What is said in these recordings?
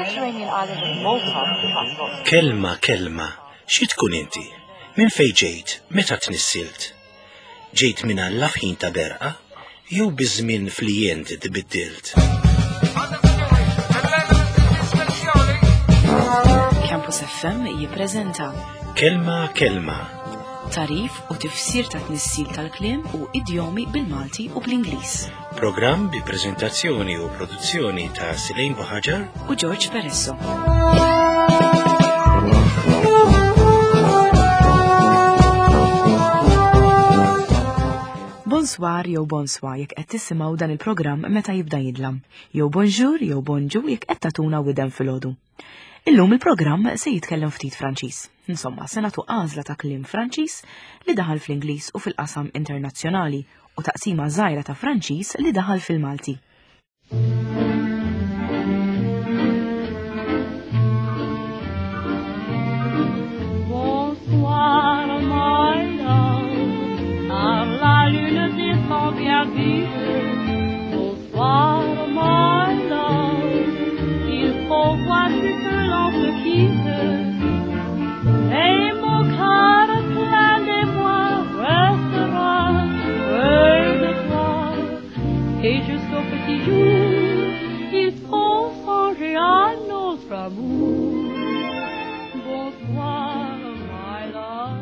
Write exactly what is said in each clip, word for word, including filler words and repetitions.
Mediterranean island of Malta has got Kelma, kelma, xi tkun inti? Minn fejn ġejt? Meta tnissilt? Ġejt minn Alla f'ħin ta' berqa? Jew biż-żmien flijent tbiddilt? Campus F M jippreżenta Kelma, kelma. Tarif u tifsir ta' tnissil tal-kliem u idjomi bil-Malti u bl-Ingliż. Programm bi preżentazzjoni u produzzjoni ta' Silejn Buħaġar u George Peresso. Bonsoir jew bonsoir jekk qed tisimgħu dan il-programm meta jibda jidlam, jew bonjour jew bonġu jekk qed tagħtuna widen filgħodu. Illum il-programm se jitkellem ftit Franċiż. Insomma, se nagħtu għażla ta' kliem Franċiż li daħal fl-Ingliż u fil-qasam internazzjonali u taqsima żgħira ta' Franċiż li daħal fil-Malti. Bonsoir, my love, car la lune descend bien vite. Bonsoir, my love, il faut voir ce que l'on se quitte. Et mon cœur plein d'émoi restera près de toi. Et jusqu'au petit jour, il faut songer à notre amour. Bonsoir, my love.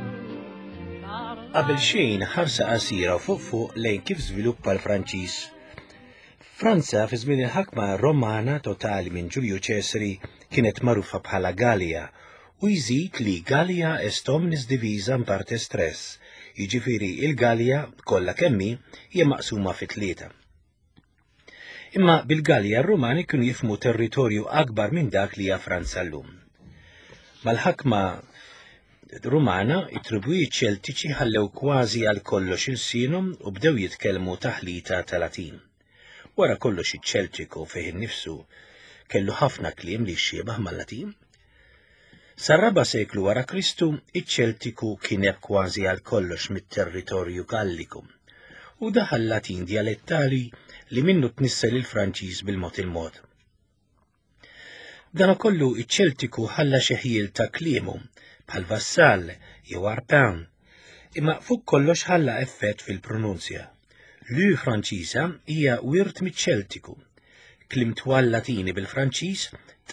Qabel xejn ħarsa qasira fuq fuq lejn kif żviluppa l-Franċiż. Franza fi żmien il-ħakma Romana totali minn Ġulju Ċesari kienet magħrufa bħala Gallia u jżid li Gallia est omnis divisa in partes tres, jiġifieri il-Gallia kollha kemm hi hija maqsuma fi tlieta. Imma bil-Gallia r-Rumani kienu jifhmu territorju akbar minn dak li hija Franza llum. Mal-ħakma Rumana, it-tribujiet ċeltiċi ħallew kważi għal kollox il-sinhom u bdew jitkellmu taħlita ta' Latin. Wara kollox iċ-Ċeltiku fih innifsu kellu ħafna kliem li xiebaħ mal-Latin. Sar-raba' seklu wara Kristu, iċ-Ċeltiku kien hemm kważi għal kollox mit-territorju Galliku u daħal Latin dialettali li minnu tnissel il-Franċiż bil-mod il-mod. Dan kollu iċ-Ċeltiku ħalla xi ħjiel ta' kliemu bħal vassal jew arpin, imma fuq kollox ħalla effett fil-pronunzja. L-U Franċiża hija wirt miċ-Ċeltiku. Kliem twal Latini bil-Franċiż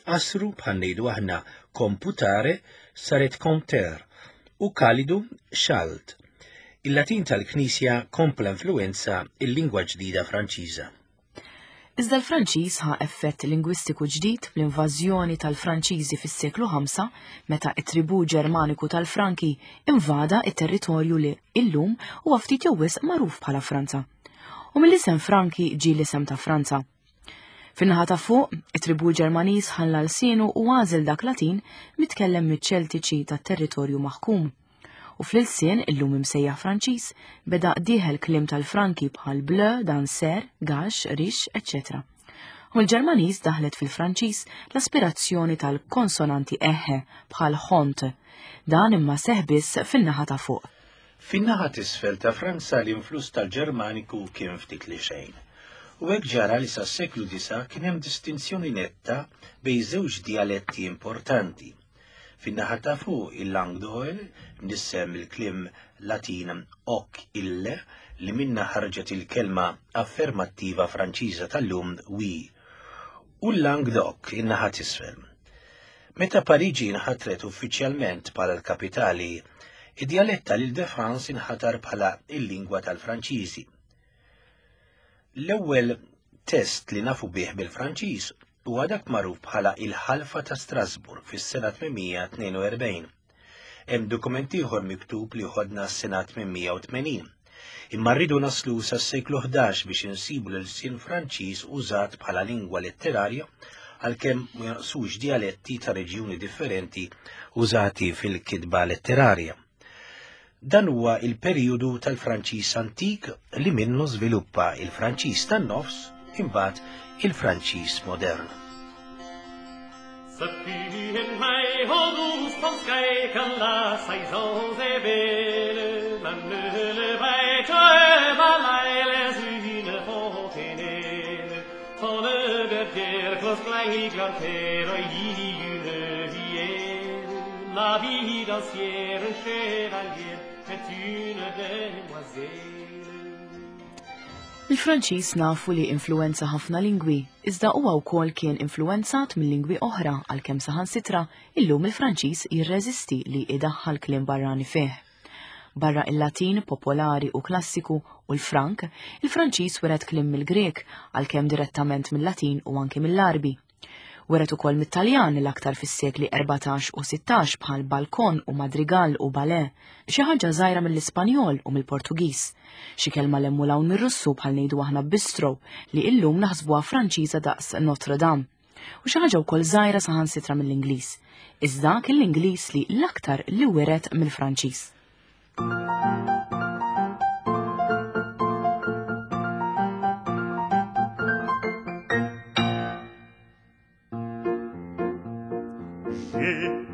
tqassru bħal ngħidu aħna computare saret compter u kalidu xalt. Il-Latin tal-Knisja kompla influenza il-lingwa ġdida Franċiża. Iżda l-Franċiż ħa effett lingwistiku ġdid bl-invażjoni tal-Franċiżi fis-seklu ħamsa meta t-tribù Ġermaniku tal-Franki invada t-territorju li illum huwa ftit jew wisq magħruf bħala Franza. U mill-isem Franki ġie l-isem ta' Franza. Fin-naħa ta' fuq, it-tribù Ġermaniż ħalla lsienu u għażel dak Latin mitkellem miċ-Ċeltiċi tat-territorju maħkum. U fl-ilsien illum imsejjaħ Franċiż beda dieħel kliem tal-Franki bħal bleu, danser, gax, rix, eċċetera. U l-Ġermaniż daħlet fil-Franċiż l-aspirazzjoni tal-konsonanti eħe bħal hont. Dan imma seħ biss fin-naħa ta' fuq. Fin-naħa t'isfel ta' Franza l-influss tal-Ġermaniku kien ftit li xejn. U hekk ġara li sas-seklu disa kien hemm distinzjoni netta bejn żewġ dialetti importanti. Fin-naħa ta' fuq il-Langue d'Oil, mnissem il-kliem Latin hoc ille, li minna ħarġet il-kelma affermattiva Franċiża tal-lum oui, u l-Langue d'Oc in-naħa t'isfel. Meta Pariġi nħatret uffiċjalment bħala l-kapitali, id-dialett tal-Île-de-France inħatar bħala il-lingwa tal-Franċiżi. L-ewwel test li nafu bih bil-Franċiż huwa dak magħruf bħala il-Ħalfa ta' Strasburg fis-sena tmien tnejn u erbgħin. Hemm dokument ieħor miktub li ħodna s-sena tmien u tmenin. Imma rridu naslu sas-seklu ħdax biex insibu l-ilsien Franċiż użat bħala lingwa letterarja għalkemm ma jonqsux dialetti ta' reġjuni differenti użati fil-kitba letterarja. Dan huwa il-perjodu tal-Franċiż antik li minnu żviluppa il-Franċiż tan-nofs imbagħad il-Franċiż modern. Une vie, la vie d'ancien chevalier est une demoiselle. Il-Franċiż nafu li influenza ħafna lingwi, iżda huwa wkoll kien influenzat minn lingwi oħra għalkemm saħansitra illum il-Franċiż jirreżisti li idaħħal kliem barrani fih. Barra il-Latin popolari u klassiku u l-Frank, il-Franċiż wiret kliem mill-Grek għalkemm direttament mill-Latin u anke mill-Arbi. Wiret ukoll mit-Taljan l-aktar fis-sekli erbatax u sittax bħal balkon u madrigal u ballet, xi ħaġa żgħira mill-Ispanjol u mill-Portugiż, xi kelma lemmu hawn mir-Russu bħal ngħidu aħna bistro li illum naħsbuha Franċiża daqs Notre Dame, u xi ħaġa wkoll żgħira saħansitra mill-Ingliż. Iżda kien l-Ingliż li l-aktar li wiret mill-Franċiż.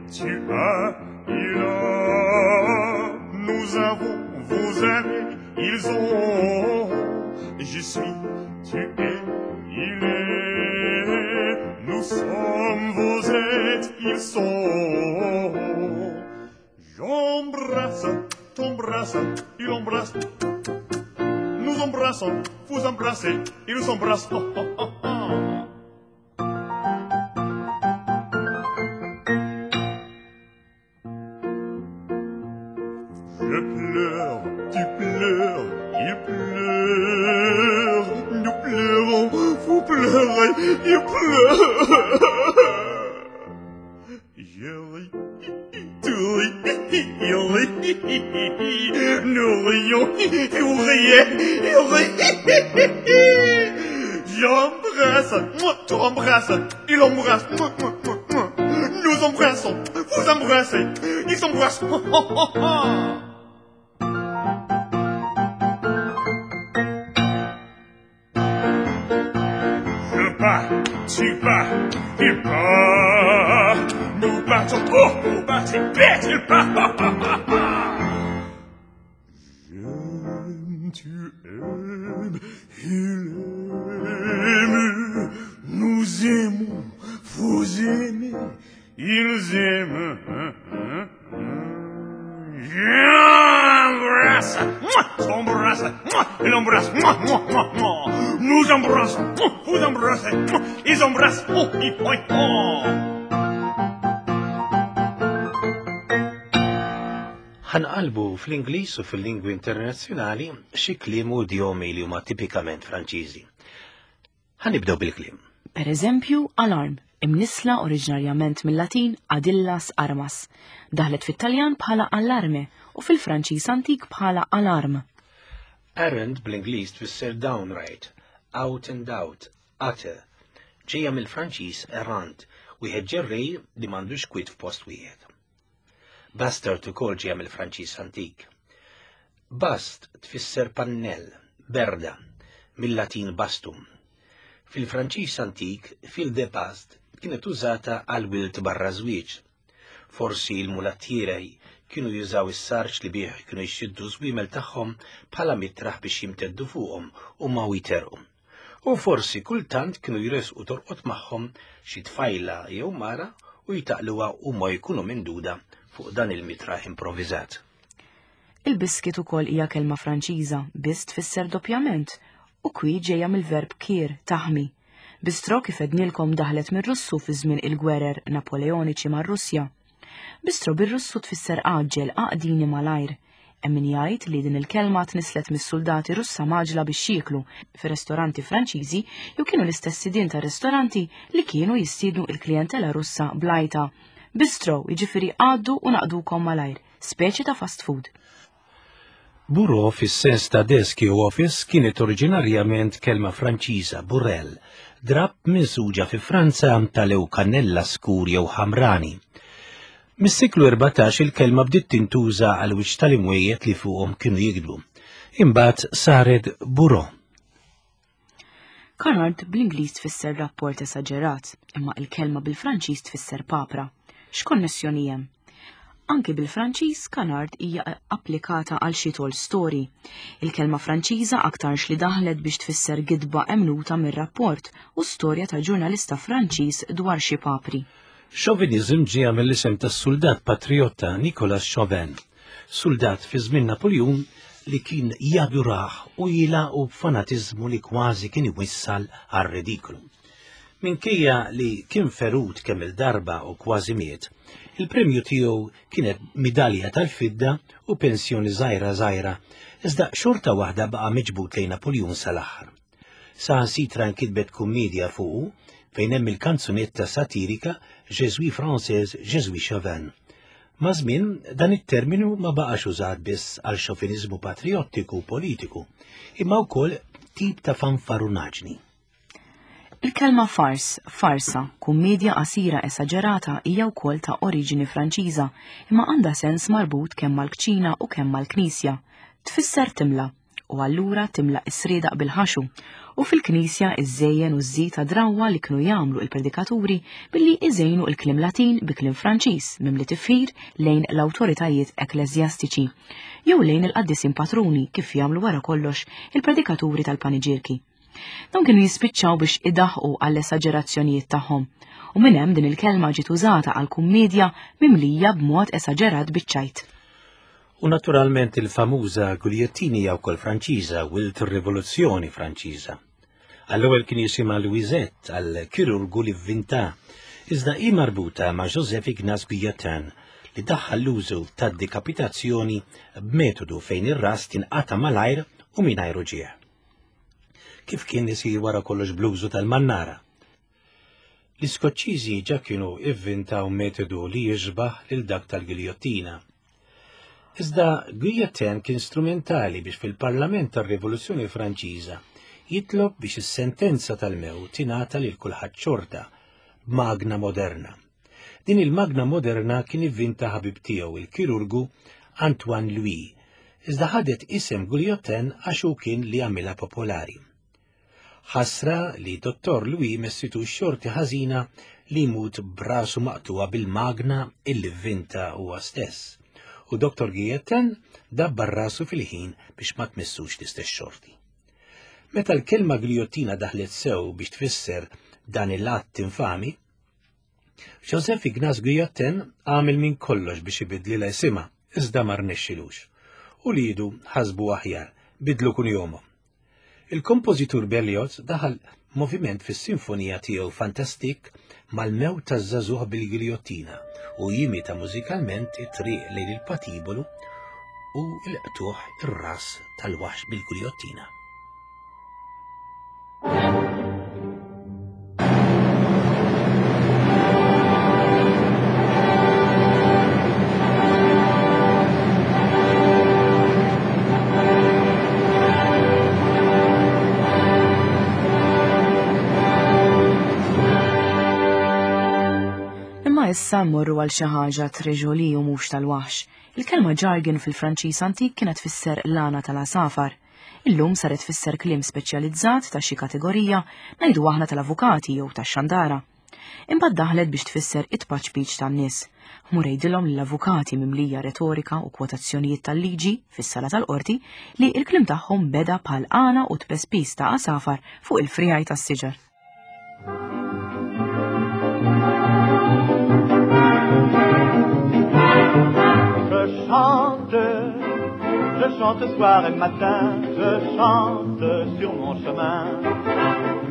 Tu as, il a, nous avons, vous avez, ils ont. Je suis, tu es, il est, nous sommes, vous êtes, ils sont. J'embrasse, t'embrasse, il embrasse, nous embrassons, vous embrassez, ils nous embrassent. Oh, oh, oh, oh. Je pleure, tu pleures, il pleure, nous pleurons, vous pleurez, il pleure. Je ris, tu ris, il rit, nous rions, vous riez, il rit. J'embrasse, moi, tu embrasses, il embrasse, moi, moi, moi, moi. Nous embrassons, vous embrassez, ils s'embrassent. Oh, oh, oh, oh. Je bats, tu bats, il bat. Nous battons, oh, vous battez, bête, il bat. J'aime, tu aimes, il aime. Nous aimons, vous aimez, ils aiment. J'embrasse, moi, t'embrasse, moi, il embrasse, moi, moi, moi, moi. Nous embrassons, vous embrassez, ils embrassent, oh, oh, oh, oh. Ħanqalbu fl-Ingliż u fil-lingwi internazzjonali xi kliem u idjomi li huma tipikament Franċiżi. Ħanibdew bil-kliem. Per eżempju, alarm, imnisla oriġinarjament mill-Latin adillas armas, daħlet fit-Taljan bħala allarme u fil-Franċiż antik bħala alarm. Errand bl-Ingliż tfisser downright, out and out, utter. Ġejja mill-Franċiż errant, wieħed ġerrej li m'għandux kwit f'post wieħed. Bastard ukoll ġejja mill-Franċiż antik. Bast tfisser pannell, berda, mill-Latin bastum. Fil-Franċiż antik, fil de past kienet użata għal wilt barra żwieġ. Forsi l-mulattieri kienu jużaw is-sarġ li bih kienu jxiddu żwiemel tagħhom bħala mitraħ biex jimteddu fuqhom u ma jiterqu. U forsi kultant kienu jresqu torqod magħhom xi tfajla jew mara u jtaqluha u ma jkunu minduda fuq dan il-mitraħ improvviżat. Il-biskit ukoll hija kelma Franċiża, biss tfisser doppjament, u kwi ġejja mill-verb kir, taħmi. Bistro kif ednilkom daħlet mir-Russu fi żmien il-gwerer Napoleoniċi mar-Russja. Bistro bir-Russu tfisser għaġġel, għaqdini malajr. Hemm min jgħid li din il-kelma tnislet mis-soldati Russa maġla biex jieklu fir-ristoranti Franċiżi jew kienu l-istess sidien ta' ristoranti li kienu jistiednu il-klijentela Russa blajta. Bistro jiġifieri għaddu u naqdukom malajr, speċi ta' fast food. Bureau fis-sens ta' desk jew office kienet oriġinarjament kelma Franċiża burel, drapp minsuġa fi Franza tal-ew kannella skur jew ħamrani. Mis-seklu erbatax il-kelma bdiet tintuża għal wiċċ tal-imwejjed li fuqhom kienu jikdbu. Imbagħad saret bureau. Canard bl-Ingliż tfisser rapport esaġerat, imma il-kelma bil-Franċiż tfisser papra. X'konnessjoni hemm? Anki bil-Franċiż canard hija applikata għal xi tall story. Il-kelma Franċiża aktarx li daħlet biex tfisser gidba emnuta mir-rapport u storja ta' ġurnalista Franċiż dwar xi papri. Chauvinism ġie mill-isem tas-suldat patriotta Nicolas Chauvin, suldat fi żmien Napoleon li kien jadurah u jilaqu b'fanatiżmu li kważi kien iwissal għar-ridiklu. Minkejja li kien ferut kemm il-darba u kważi miet, il-premju tiegħu kienet midalja tal-fidda u pensjoni żgħira żgħira, iżda xorta waħda baqa' miġbud lejn Napoleon sal-aħħar. Saħansitra nkitbet kummedja fuqu fejn hemm il-kanzunetta satirika Je suis français, je suis chauvin. Ma' żmien dan it-terminu ma baqax użat biss għal xoviniżmu patriottiku u politiku, imma wkoll tip ta' fanfarunaġni. Il-kelma fars, farsa, kummedja qasira esaġerata hija wkoll ta' oriġini Franċiża, imma għandha sens marbut kemm mal-kċina u kemm mal-knisja. Tfisser timla, u allura timla is-sriedaq bil-ħaxu, u fil-knisja iżżejjen u żżid drawwa li kienu jagħmlu il-predikaturi billi iżejnu il-kliem Latin bi kliem Franċiż mimli tifħir lejn l-awtoritajiet ekkleżjastiċi, jew lejn il-qaddisin patruni kif jagħmlu wara kollox il-predikaturi tal-paniġierki. Dawn kienu jispiċċaw biex idaħqu għall-esaġerazzjonijiet tagħhom, u minn hemm din il-kelma ġiet użata għal kummedja mimlija b'mod esaġerat biċ-ċajt. U naturalment il-famuża Guillotina hija wkoll Franċiża wilt ir-Rivoluzzjoni Franċiża. Għall-ewwel kien jisimha Louisette għal kirurgu li vvinta, iżda hi marbuta ma' Joseph Ignace Guillotin li daħħal l-użu tad-dekapitazzjoni b'metodu fejn ir-ras tinqata' malajr u mingħajr uġigħ. Kif kien isir wara kollox bl-użu tal-mannara. L-Iskoċċiżi ġa kienu ivvintaw metodu li jiġbaħ lil dak tal-giljottina. Iżda Guillotin kien strumentali biex fil-Parlament tar-Rivoluzzjoni Franċiża jitlob biex is-sentenza tal-mewt tingħata lil kulħadd xorta b'magna moderna. Din il-magna moderna kien ivvinta ħabib tiegħu il-kirurgu Antoine Louis, iżda ħadet isem Guillotin għax hu kien li għamilha popolari. Ħasra li Dottor Louis messitu xorti ħażina li jmut brasu maqtuwa bil-magna illi vvinta huwa stess. U Dottor Guillotin dabbar rasu fil-ħin biex ma tmissux l-istess xorti. Meta l-kelma giljottina daħlet sew biex tfisser dan il-att infami, Joseph Ignace Guillotin għamel minn kollox biex ibidlilha isimha, iżda ma rnexxilux. U lidu ħasbu aħjar, bidlu kunjomhom. Il-kompożitur Berlioz daħal moviment fis-sinfonija tiegħu Fantastik mal-mewt taż-żagħżugħ bil-giljottina u jimita mużikalment it-triq lejn il-patibolu u l-qtuħ ir-ras tal-waħx bil-giljottina. Imma issa mmorru għal xi ħaġa treġoli u mhux tal-waħx. Il-kelma jargon fil-Franċiż antik kienet tfisser l-għana tal-għasafar. Illum saret tfisser kliem speċjalizzat ta' xi kategorija, ngħidu aħna tal-avukati jew tax-xandara. Imbagħad daħlet biex tfisser it-tpaċpiċ tan-nies. Mur jgħidilhom lill-avukati mimlija retorika u kwotazzjonijiet tal-liġi fis-sala tal-qorti li l-kliem tagħhom beda bħal għana u tpespis ta' għasafar fuq il-frijaj tas-siġar. Je chante, je chante soir et matin, je chante sur mon chemin.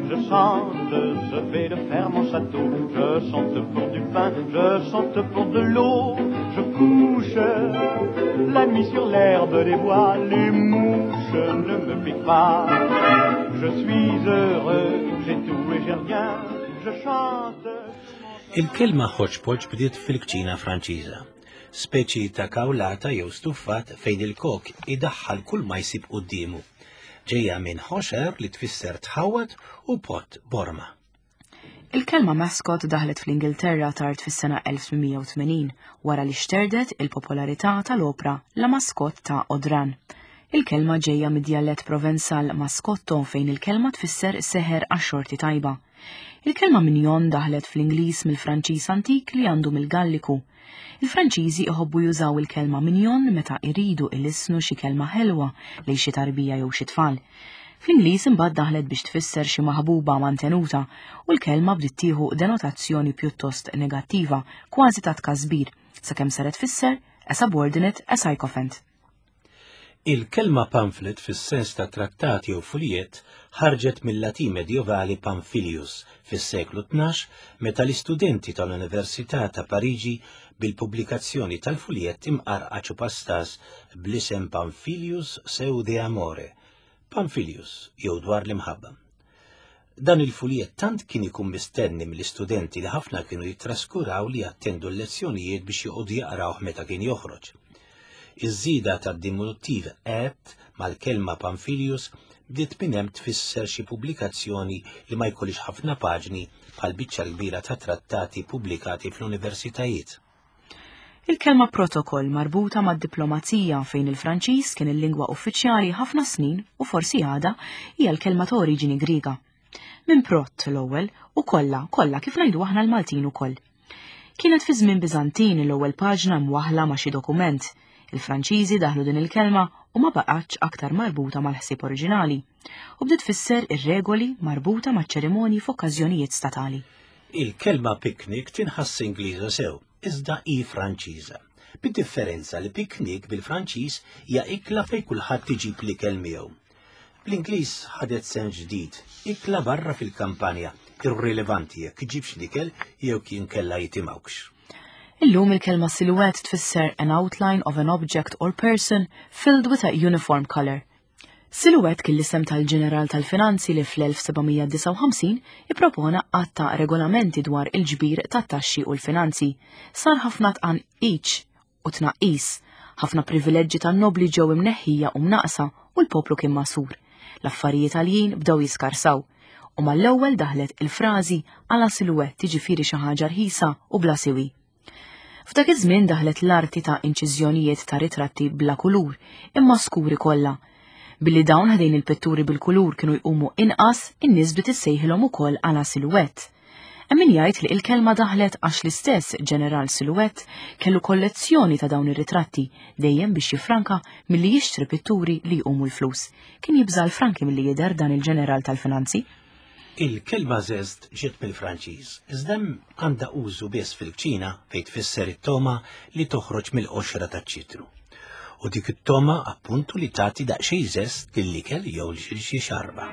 Je chante, je fais de fer mon château, je chante pour du pain, je chante pour de l'eau. Je couche la nuit sur l'herbe des bois, les mouches ne me piquent pas. Je suis heureux, j'ai tout et j'ai rien, je chante. Il-kelma hodgepodge bdiet fil-kċina Franċiża, speċi ta' kawlata jew stuffat fejn il-kok idaħħal kull ma jsib quddiemu. Ġejja minn ħoxer li tfisser tħawat u pot borma. Il-kelma mascot daħlet fl-Ingilterra tard fis-sena elf tmien mija u tmenin wara li xterdet il-popolarità tal-opra La Mascotte ta' Audran. Il-kelma ġejja mid-djalett Provenzal mascotto fejn il-kelma tfisser seħer għax-xorti tajba. Il-kelma mignon daħlet fl-Ingliż mill-Franċiż antik li għandu mill-Galliku. Il-Franċiżi iħobbu jużaw il-kelma mignon meta iridu ilissnu xi kelma ħelwa lejn xi tarbija jew xi tfal. Fl-Ingliż imbagħad daħlet biex tfisser xi maħbuba mantenuta u l-kelma bdiet tieħu denotazzjoni pjuttost negattiva, kważi ta' tkasbir, sakemm saret tfisser a subordinate, a sycophant. Il-kelma pamphlet fis-sens ta' trattati u fuljet ħarġet mill-Latin medjevali Pamphilius fis-seklu tnax meta l-istudenti tal-Università ta' Pariġi bil-pubblikazzjoni tal-fuljet imqarqaċ u pastas bl-isem Pamphilius seu de Amore, Pamphilius jew dwar l-imħabba. Dan il-fuljet tant kien ikun mistenni mill-istudenti li ħafna kienu jittraskuraw li jattendu l-lezzjonijiet biex joqogħdu jaqrawh meta kien joħroġ. Iż-żieda tad-diminuttiv et mal-kelma Pamphilius bdiet minn hemm tfisser xi pubblikazzjoni li ma jkollix ħafna paġni bħal biċċa kbira ta' trattati pubblikati fl-universitajiet. Il-kelma protokoll marbuta mad-diplomazija fejn il-Franċiż kien il-lingwa uffiċjali ħafna snin u forsi għada hija l-kelma ta' oriġini Griega. Minn prot l-ewwel u kollha, kollha kif ngħidu aħna l-Maltin ukoll. Kienet fi żmien Biżantin l-ewwel paġna mwaħla ma' xi dokument. Il-Franċiżi daħlu din il-kelma u ma baqgħetx aktar marbuta mal-ħsieb oriġinali u bdiet tfisser ir-regoli marbuta maċ-ċerimonji f'okkażjonijiet statali. Il-kelma picnic tinħass Ingliża sew, iżda hi Franċiża. Bid-differenza li picnic bil-Franċiż hija ikla fejn kulħadd iġib l-ikel miegħu. Bl-Ingliż ħadet sens ġdid, ikla barra fil-kampanja, irrilevanti jekk iġibx l-ikel jew kien kellha jitimgħux. Illum il-kelma silhouette tfisser an outline of an object or person filled with a uniform color. Silhouette kien l-isem tal-ġeneral tal-finanzi li fl-elf sebgħamija disgħa u ħamsin ippropona għadd ta' regolamenti dwar il-ġbir tat-taxxi u l-finanzi. Sar ħafna tqanqiċ u tnaqqis, ħafna privileġġi tan-nobli ġew imneħħija u mnaqsa u l-poplu kien masur. L-affarijiet għaljin bdew jiskarsaw. U mal-ewwel daħlet il-frażi għala silhouette tiġifieri xi ħaġa rħisa u bla siwi. F'dak iż-żmien daħlet l-arti ta' inċiżjonijiet ta' ritratti bla kulur, imma skuri kollha. Billi dawn ħdejn il-pitturi bil-kulur kienu jqumu inqas, in-nies bdiet issejħilhom ukoll għala silhouette. Hemm min jgħid li l-kelma daħlet għax l-istess ġeneral Silhouette kellu kollezzjoni ta' dawn ir-ritratti dejjem biex jifranka milli jixtri pitturi li jqumu l-flus. Kien jibża' l-franki milli jidher dan il-ġeneral tal-finanzi. Il-kelma zest ġiet mill-Franċiż, iżda hemm għandha użu biss fil-kċina fejn tfisser it-toma li toħroġ mill-qoxra taċ-ċitru. U dik it-toma appuntu li tagħti daqsxejn zest lill-ikel jew lil xi xarba.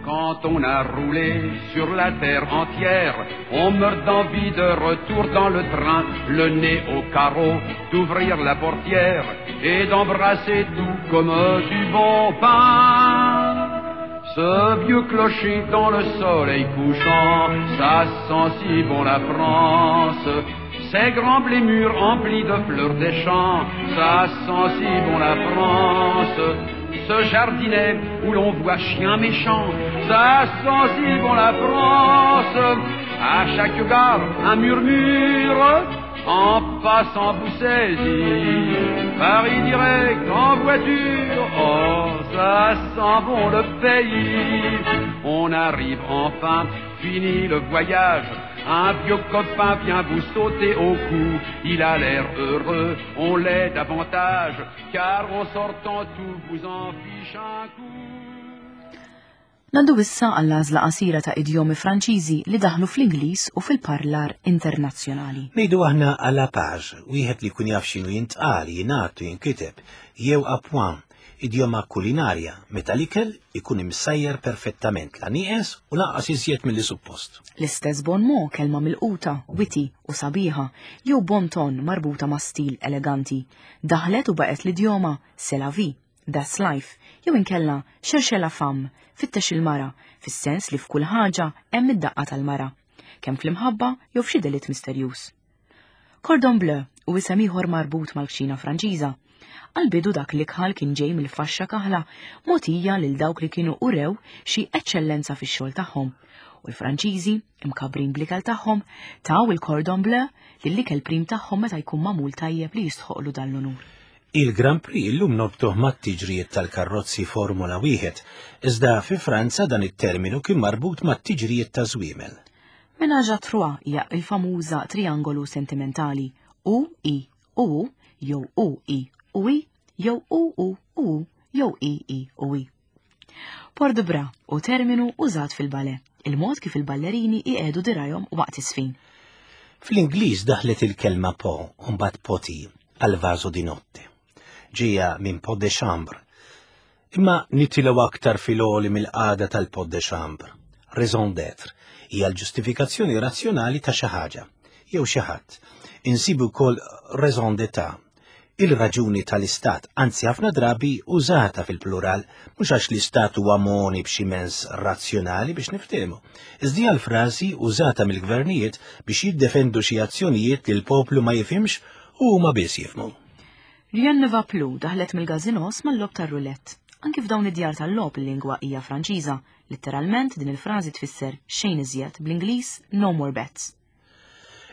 Quand on a roulé sur la terre entière, on meurt d'envie de retour dans le train, le nez au carreau, d'ouvrir la portière et d'embrasser tout comme du bon pain. Ce vieux clocher dans le soleil couchant, ça sent si bon la France. Ces grands blés mûrs emplis de fleurs des champs, ça sent si bon la France. Ce jardinet où l'on voit chien méchant, ça sent si bon la France. À chaque gare, un murmure, en passant vous saisit. Paris direct en voiture, oh, ça sent bon le pays. On arrive enfin, fini le voyage. Un vieux copain vient vous sauter au cou. Il a l'air heureux, on l'est davantage, car en sortant tout vous en fiche un coup. Ngħaddu issa għall-għażla qasira ta' idjomi Franċiżi li daħlu fl-Ingliż u fil-parlar internazzjonali. Ngħidu aħna à la page, wieħed li jkun jaf x'inhu jintqal, jingħad u jinkiteb, jew à point, idjoma kulinarja, meta l-ikel ikun imsajjar perfettament, la nieqes u lanqas iżjed milli suppost. L-istess bon mot, kelma milquta, witty u sabiħa, jew bon ton marbuta ma' stil eleganti. Daħlet u baqgħet l-idjoma c'est la vie, that's life, jew inkella cherchez la femme, fittex il-mara, fis-sens li f'kull ħaġa hemm id-daqqa tal-mara, kemm fl-imħabba jew f'xi delitt misterjuż. Cordon bleu u isem ieħor marbut mal-kċina Franċiża. Għal-bidu dak li kħal kien ġej mill-faxxa kaħla mogħtija lil dawk li kienu urew xi eċċellenza fix-xogħol tagħhom. U l-Franċiżi, imkabrin bl-ikel tagħhom, taw il-cordon bleu lill-ikel prim tagħhom meta jkun magħmul tajjeb li jistħoqlu dan l-unur. Il-Grand Prix illum norbtuh mat-tiġrijiet tal-karrozzi Formula wieħed, iżda fi Franza dan it-terminu kien marbut mat-tiġrijiet ta' żwiemel. Ménage à trois hija l-famuża triangolu sentimentali U I U jew U I U I jew U U U jew I I U I. Port de bras hu terminu użat fil-ballet, il-mod kif il-ballerini iqiegħdu dirgħajhom waqt iż-żfin. Fl-Ingliż daħlet il-kelma pot u mbagħad potty għal vaso di notte. Ġejja minn pot de chambre. Imma nitilgħu aktar fil-għoli mill-qagħda tal-pot de chambre. Raison d'être hija l-ġustifikazzjoni razzjonali ta' xi ħaġa jew xi ħadd. Insibu wkoll raison d'état, il-raġuni tal-istat, anzi ħafna drabi użata fil-plural, mhux għax l-istat huwa moni b'xi mezz razzjonali biex niftehmu. Iżda l-frażi użata mill-gvernijiet biex jiddefendu xi azzjonijiet li l-poplu ma jifhimx u huma biss jifhmu. Rien ne va plus daħlet mill-gazinos mal-logħob tar-roulette. Anki f'dawn id-djar tal-logħob il-lingwa hija Franċiża. Letteralment din il-frażi tfisser xejn iżjed, bl-Ingliż no more bets.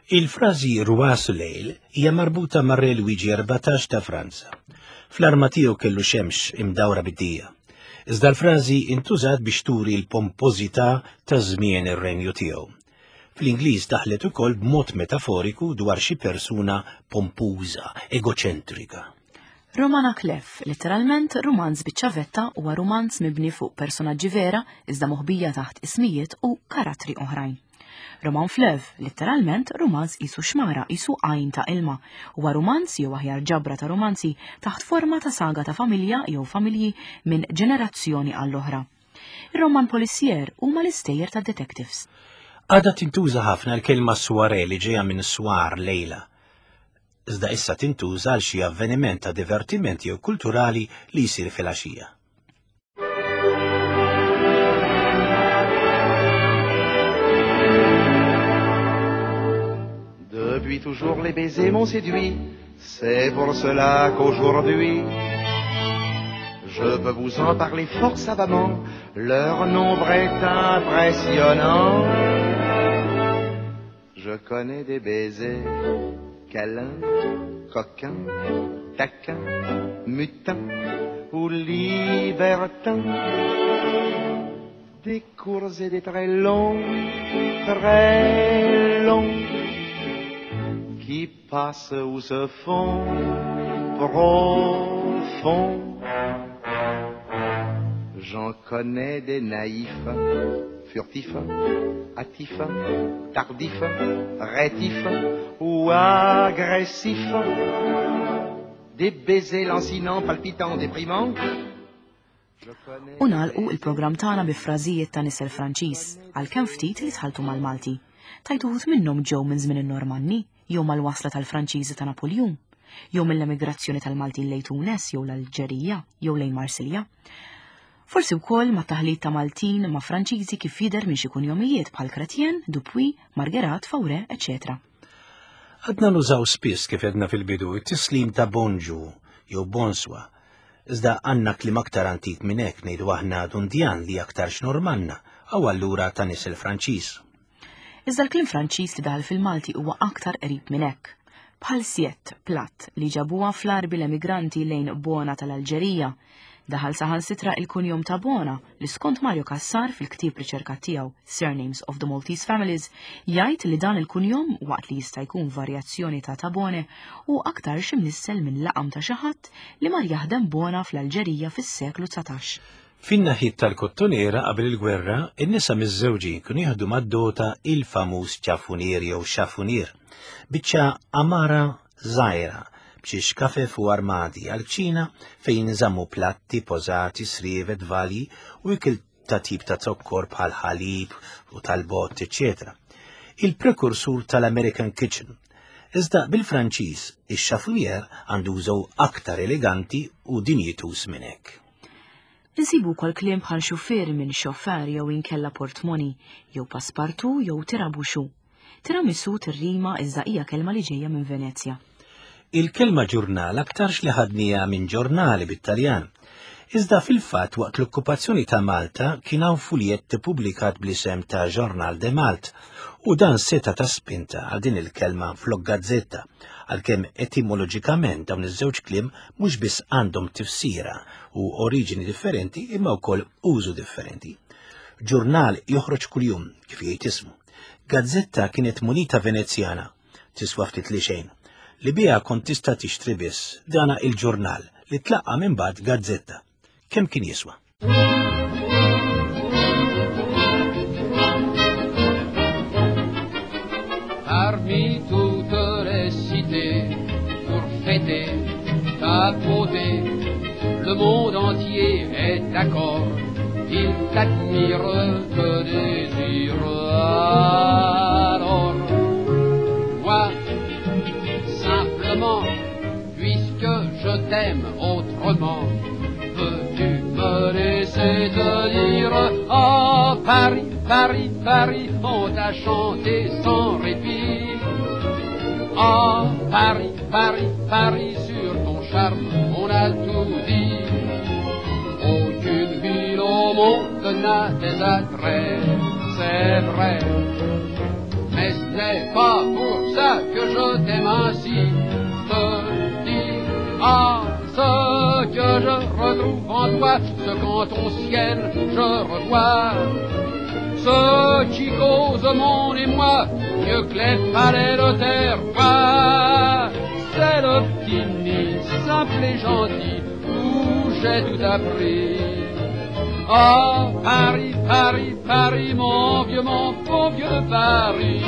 Il-frażi Roi Soleil hija marbuta mar-Re Luigi erbatax ta' Franza. Fl-arma tiegħu kellu xemx imdawra bid-dija. Iżda l-frażi intużat biex turi l-pompożità ta' żmien ir-renju tiegħu. Fl-Ingliż daħlet ukoll b'mod metaforiku dwar xi persuna pompuża, egoċentrika. Roman à clef, letteralment rumanz biċ-ċavetta, huwa rumanz mibni fuq personaġġi vera iżda moħbija taħt ismijiet u karattri oħrajn. Roman fleuve, letteralment rumanz qisu xmara, qisu għajn ta' ilma, huwa rumanz jew aħjar ġabra ta' romanzi taħt forma ta' saga ta' familja jew familji minn ġenerazzjoni għall-oħra. Ir-roman policier huma l-istejjer ta' detectives. Għadha tintuża ħafna l-kelma soirée li ġejja minn soir lejla. Iżda issa tintuża għal xi avveniment ta' divertiment jew kulturali li jsir fil-għaxija. Depuis toujours les baisers m'ont séduit, c'est pour cela qu'aujourd'hui je peux vous en parler fort savamment, leur nombre est impressionnant. Je connais des baisers câlins, coquins, taquins, mutins ou libertins, des courts et des très longs, très longs, qui passent ou se font profonds. J'en connais des naïfs, furtifs, hâtifs, tardifs, rétifs ou agressifs, des baisers lancinants, palpitants, déprimants. U nagħlqu il-programm tagħna bi frażijiet ta' nisel Franċiż għalkemm ftit li tħaltu mal-Malti. Tajt uħud minnhom ġew minn żmien in-Normanni, jew mal-wasla tal-Franċiżi ta' Napoljun, jew mill-emigrazzjoni tal-Maltin lejn Tunes jew l-Alġerija jew lejn Marsilja. Forsi wkoll ma' taħlit ta' Maltin ma' Franċiżi kif jidher minn xi kunjomijiet bħal Chrétien, Dupuy, Marguerat, Faure, eċċetera. Għadna nużaw spiss kif għedna fil-bidu it-tislim ta' bonġu jew bonswa. Iżda għandna kliem aktar antik minn hekk, ngħidu aħna dundjan li aktarx Normanna, aw allura ta' nisel Franċiż. Iżda l-kliem Franċiż li daħal fil-Malti huwa aktar qrib minn hekk. Bħal siett, platt, li ġabuha fl-arbi l-emigranti lejn Bona tal-Alġerija. Daħal saħansitra il-kunjom ta' Bona li skont Mario Cassar fil-ktieb riċerka tiegħu Surnames of the Maltese Families jgħid li dan il-kunjom waqt li jista' jkun varjazzjoni ta' Tabone u aktar x'imnissel minn laqam ta' xi ħadd li mar jaħdem Bona fl-Alġerija fis-seklu dsatax. Fin-naħiet tal-Kottonera qabel il-gwerra, in-nisa miż-żewġin kienu jieħdu mad-dota il-famuż ċafunier jew xafunier, biċċa amara żgħira b'xi xkafef u armadi għal-kċina fejn nżammu platti, pożati, srievet, valji u ikel ta' tip ta' zokkor bħal ħalib u tal-bott, eċċetera. Il-prekursur tal-American Kitchen. Iżda bil-Franċiż, ix-chafouinière għandu użu aktar eleganti u dinjitus minn hekk. Insibu wkoll kliem bħal xufier minn xofer jew inkella portmoni, jew paspartu jew tirabuxu. Tiramisu tirrima iżda hija kelma li ġejja minn Venezja. Il-kelma ġurnal aktarx li ħadnija minn ġurnali bit-Taljan. Iżda fil-fatt waqt l-okkupazzjoni ta' Malta kien hawn fuljett ippubblikat bl-isem ta' Journal de Malte u dan seta ta' spinta għal din il-kelma flok gazzetta, għalkemm etimoloġikament dawn iż-żewġ kliem mhux biss għandhom tifsira u oriġini differenti imma wkoll użu differenti. Ġurnal joħroġ kuljum kif jgħid ismu. Gazzetta kienet munita Venezjana, tiswa ftit li xejn, li biha kont tista' tixtri biss dana il-ġurnal li tlaqqa minn bad gazzetta. Kemm kien jiswa? Parmi toutes les cités, pour fêter ta beauté, le monde entier est d'accord, il t'admire, te désire. Alors, moi, simplement, puisque je t'aime autrement, peux-tu me laisser te dire, oh Paris, Paris, Paris, on t'a chanté sans répit. Oh Paris, Paris, Paris, sur ton charme, on a tout dit. Aucune ville au monde n'a des attraits, c'est vrai. Mais ce n'est pas pour ça que je t'aime ainsi. Te dis, ah, ce que je retrouve en toi, ce qu'en ton ciel je revois, ce qui cause mon émoi, mieux que les palais de terre. C'est le petit nid simple et gentil où j'ai tout appris. Oh Paris, Paris, Paris, mon vieux, mon bon vieux Paris.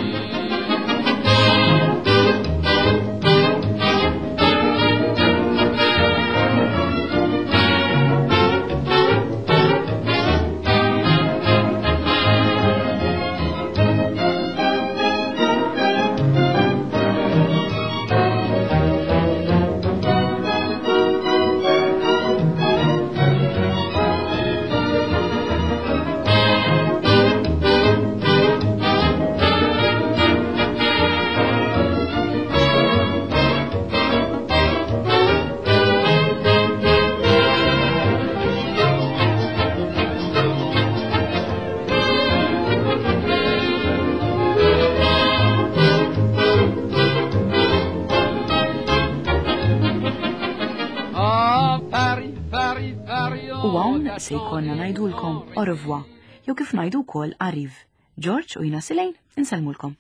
U hawn se jkollna ngħidulkom au revoir, jew kif ngħidu wkoll arriv. George u jiena Silejn insellmulkom.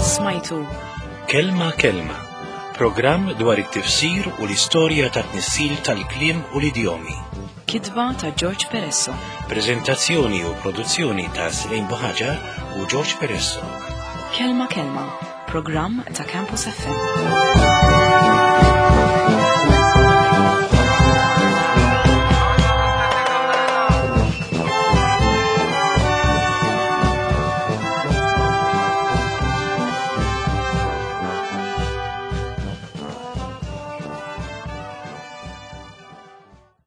Smajtu Kelma Kelma, programm dwar it-tifsir u l-istorja ta' tnissil tal-kliem u l-idjomi. Kitba ta' George Peresso. Prezentazzjoni u produzzjoni ta' Silejn Buħaġar u George Peresso. Kelma Kelma, programm ta' Campus F M.